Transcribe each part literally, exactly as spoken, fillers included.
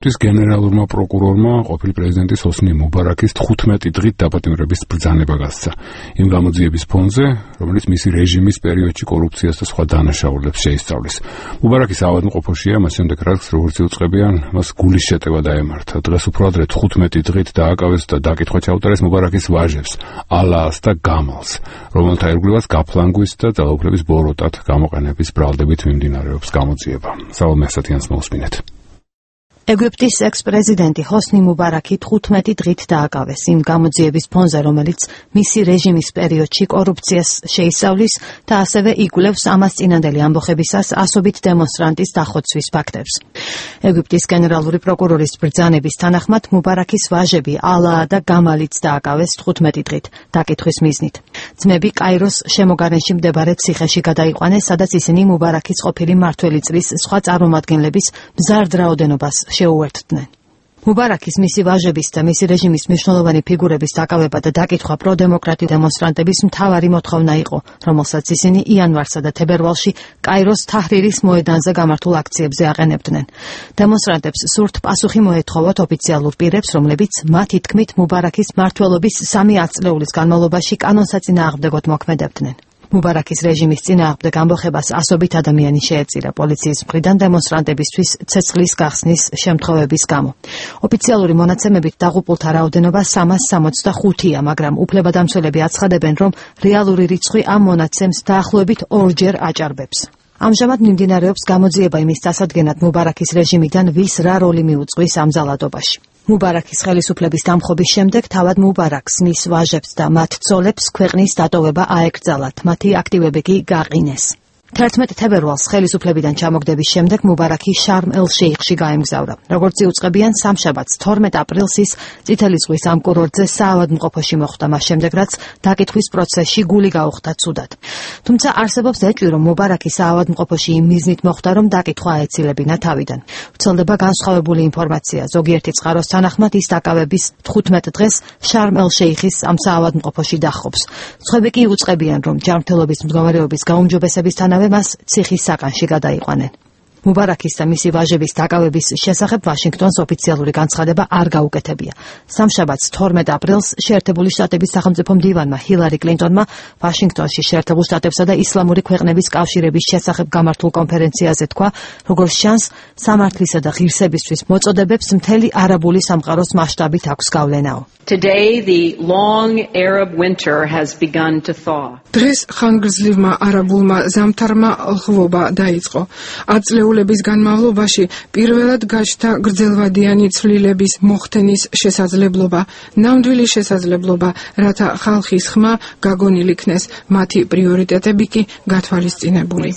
ის გენერალურმა პროკურორმა ყოფილი პრეზიდენტის ჰოსნი მუბარაკის თხუთმეტი დღით დაპატიმრების ბრძანება გასცა იმ გამოძიების ფონზე, რომელიც მისი რეჟიმის პერიოდში კორუფციას და სხვა დანაშაულებს შეისწავლის. მუბარაკის ავადმყოფოშია, მას შემდეგ რაც როგორც იუწყებიან, მას გულის შეტევა დაემართა. დღეს უფრო ადრე თხუთმეტი დღით დააკავეს და დაკითხვა ჩაუტარეს მუბარაკის ვაჟებს, ალაას და გამალს, რომელთა ირგვლივაც გაფლანგვის და ძალაუფლების ბოროტად გამოყენების ბრალდებით მიმდინარეობს გამოძიება. სავალ მესათიანს მოусმინეთ. ეგვიპტის ექს-პრეზიდენტი ჰოსნი მუბარაკი თხუთმეტი დღით დააკავეს იმ გამოძიების ფონზე, რომელიც მისი რეჟიმის პერიოდში კორუფციას შეისწავლის და ასევე იკვლევს ამას წინანდელი ამბოხებისას ასობით დემონსტრანტის დახოცვის ფაქტებს. ეგვიპტის გენერალური პროკურორის ბრძანების თანახმად მუბარაკის ვაჟები ალაა და გამალიც დააკავეს თხუთმეტი დღით დაკითხვის მიზნით. ძმები კაიროს შემოგარენში მდებარე ციხეში გადაიყვანეს, სადაც ისინი მუბარაკის ყოფილი მმართველი წრის სხვა წარმომადგენლების მზარდ რაოდენობას შეუერთდნენ. მუბარაკის მისი ვაჟების და მისი რეჟიმის მნიშვნელოვანი ფიგურების დაკავება და დაკითხვა პროდემოკრატი დემონსტრანტების მთავარი მოთხოვნა იყო, რომელსაც ისინი იანვარსა და თებერვალში კაიროს თაჰრირის მოედანზე გამართულ აქციებზე აყენებდნენ. დემონსტრანტებს სურთ პასუხი მოეთხოვოთ ოფიციალურ პირებს, რომლებიც მათი თქმით მუბარაკის მმართველობის სამი ათწლეულის განმავლობაში კანონსაწინააღმდეგოდ მოქმედებდნენ. მუბარაკის რეჟიმის წინააღმდეგ ამბოხებას ასობით ადამიანი შეეწირა პოლიციის მხრიდან დემონსტრანტებისთვის ცეცხლის გახსნის შემთხვევების გამო. ოფიციალური მონაცემებით დაღუპულთა რაოდენობა სამას სამოცდახუთია, მაგრამ უფლებადამცველები აცხადებენ, რომ რეალური რიცხვი ამ მონაცემს დაახლოებით ორჯერ აჭარბებს. ამჟამად მიმდინარეობს გამოძიება იმის წასადგენად მუბარაკის რეჟიმიდან ვის რა როლი მიუძღვის ამ ძალადობაში. მუბარაკის ხელისუფლების დამხობის შემდეგ თავად მუბარაკს, მის ვაჟებს და მათ ცოლებს ქვეყნის დატოვება აეკრძალათ, მათი აქტივები კი გაყინეს. თერთმეტ თებერვალს ხელისუფლებიდან ჩამოგდების შემდეგ მუბარაკი შარმ-ელ-შეიხში გაემგზავრა. როგორც იუწყებიან, სამშაბათს თორმეტ აპრილს ის წითელი ზღვის ამ კურორტზე საავადმყოფოში მოხვდა, მას შემდეგ რაც დაკითხვის პროცესში გული გაუხდა ცუდად. თუმცა არსებობს ეჭვი, რომ მუბარაკი საავადმყოფოში იმ მიზნით მოხვდა, რომ დაკითხვა აეცილებინა თავიდან. ვრცელდება განსხვავებული ინფორმაცია. ზოგიერთი წყაროს თანახმად ის დაკავების თხუთმეტ დღეს შარმ-ელ-შეიხის ამ საავადმყოფოში დახობს. სხვები კი იუწყებიან, რომ ჯანმრთელობის მდგომარეობის გაუმჯობესებისთანავე მას ციხის საკანში გადაიყვანენ. მუბარაკის და მისი ვაჟების დაკავების შესახებ ვაშინგტონს ოფიციალური განცხადება არ გაუკეთებია. სამშაბათს თორმეტ აპრილს შეერთებული შტატების სახელმწიფო მდივანმა ჰილარი კლინტონმა ვაშინგტონში შეერთებულ შტატებსა და ისლამური ქვეყნების კავშირების შესახებ გამართულ კონფერენციაზე თქვა, როგორც ჩანს, სამართლისა და ღირსებისთვის მოწოდებებს მთელი არაბული სამყაროს მასშტაბით აქვს გავლენაო. Today the long Arab winter has begun to thaw. დღეს ხანგრძლივმა არაბულმა ზამთარმა ლღვობა დაიწყო. ათწლეულების განმავლობაში პირველად გაჩნდა გრძელვადიანი ცვლილების მოხდენის შესაძლებლობა, ნამდვილი შესაძლებლობა, რათა ხალხის ხმა გაგონილ იქნეს, მათი პრიორიტეტები კი გათვალისწინებული.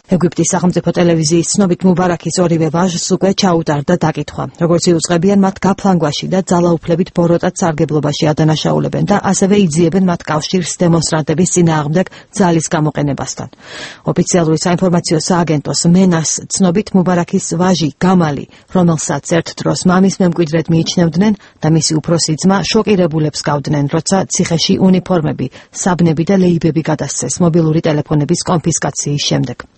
ეგვიპტის სახელმწიფო ტელევიზიის ცნობით მუბარაკის ორივე ვაჟს უკვე ჩაუტარდა დაკითხვა. როგორც იუწყებიან, მათ გაფლანგვაში და ძალაუფლებით ბოროტად სარგებლობაში ადანაშაულებენ და ასევე იძიებენ მათ კავშირს დემონსტრანტების წინააღმდეგ ძალის გამოყენებასთან. ოფიციალური საინფორმაციო სააგენტოს მენას ცნობით მუბარაკის ვაჟი გამალი, რომელსაც ერთ დროს მამის მემკვიდრედ მიიჩნევდნენ და მისი უფროსი ძმა შოკირებულებს გავდნენ, როცა ციხეში უნიფორმები, საბნები და ლეიბები გადასცეს მობილური ტელეფონების კონფისკაციის შემდეგ.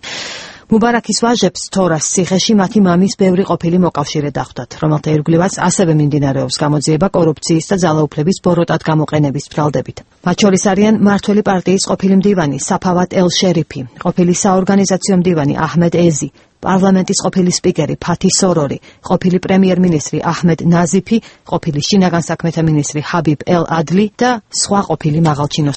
მუბარაკის ვაჟებს თორას ციხეში მათი მამის ბევრი ყოფილი მოკავშირე დახვდათ, რომელთა ირგვლივაც ასევე მიმდინარეობს გამოძიება კორუფციის და ძალაუფლების ბოროტად გამოყენების ბრალდებით. მათ შორის არიან მმართველი პარტიის ყოფილი მდივანი საფავატ ელ-შერიფი, ყოფილი საორგანიზაციო მდივანი აჰმედ ეზი, პარლამენტის ყოფილი სპიკერი ფათი სორორი, ყოფილი პრემიერ-მინისტრი აჰმედ ნაზიფი, ყოფილი შინაგან საქმეთა მინისტრი ჰაბიბ ელ-ადლი და სხვა ყოფილი მაღალჩინო